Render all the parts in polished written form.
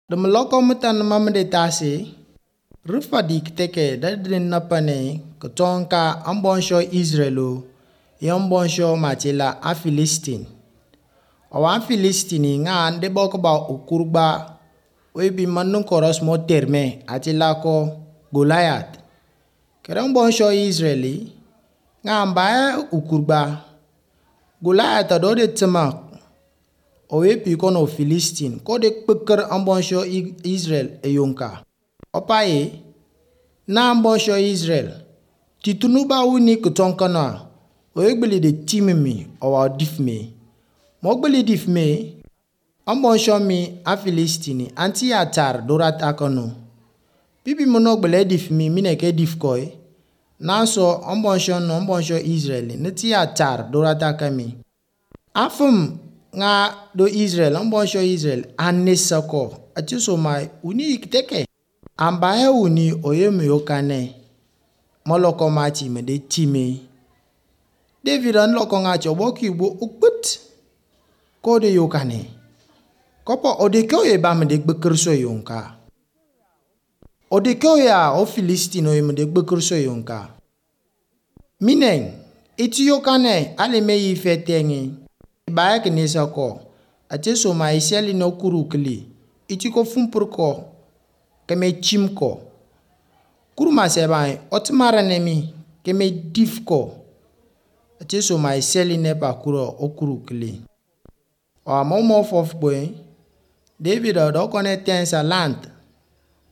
Dum loko mutan mamde tasi rufa dik teke da din na pane kotonka ambonsho Israelo yombonsho matila a Philistine. Owa Philistine nga ande boko ba ukurba oibi manun koros mo terme atila ko Goliath. Kere mbonsho Israeli nga mba ukurba Goliath do de tsema owe pi kono Philistine ko de kpeker ambonsho Israel eyonka. Opaye na ambonsho Israel titunuba wuni kutonkana oye gbeli de timimi owa difme. Mo gbeli difme ambonsho mi a Philistine anti atar dorat akono. Bibi mono gbele difmi mineke difkoi. Naso ambonsho no ambonsho Israel nti atar dorat akami. Afum nga do Israel ambonsho Israel anesako atiso mai uni ikteke. Ambaye uni oyemi yokane. Moloko mati me de time. David an loko nga chobo ki bo ukput. Ko de yokane. Kopo odeke oye ba me de gbekerso yonka. Odeke oye a o Philistine oye me de gbekerso yonka. Mineng, iti yokane ale me yi fetengi. Ba ke nesa ko. Ate so ma iseli no kuru kli. Iti ko fumpur ko. Keme chim ko. Kuru ma seba otmara nemi keme dif ko. Ate so ma iseli ne pa kuro o kuru kli. O mo mo fof boy. David do kone tensa land.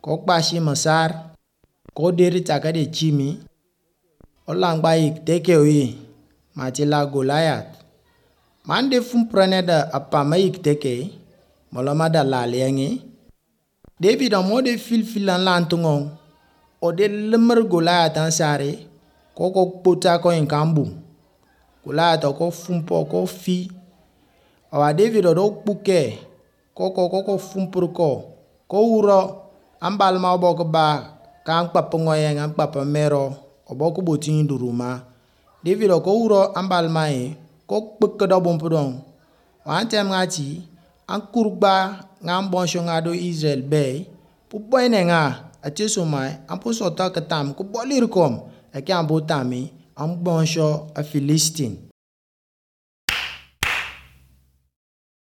Ko kpashi masar. Ko deri taka de chimi. Olangba ik teke oye. Matila Goliath. Mande fumprane da apama ik teke. Moloma da laliangi. David o de fil filan lantungo. O de lemmer Goliath ansare. Ko ko kpota ko inkambu. Goliath ko fumpo ko fi. Owa David o do kpuke. Ko ko ko ko fumpur ko. Ko uro ambalma oboko ba ka nkpapa ngoyen nkpapa mero oboko botin duruma. David o ko uro ambalma e ko kpeke do bompudon. Wa tem ngati an kurgba nga mbonsho nga do Israel be pu boyne nga ate so mai an pu sota katam ko bolir kom e ke an bo tami an bonsho a Philistine.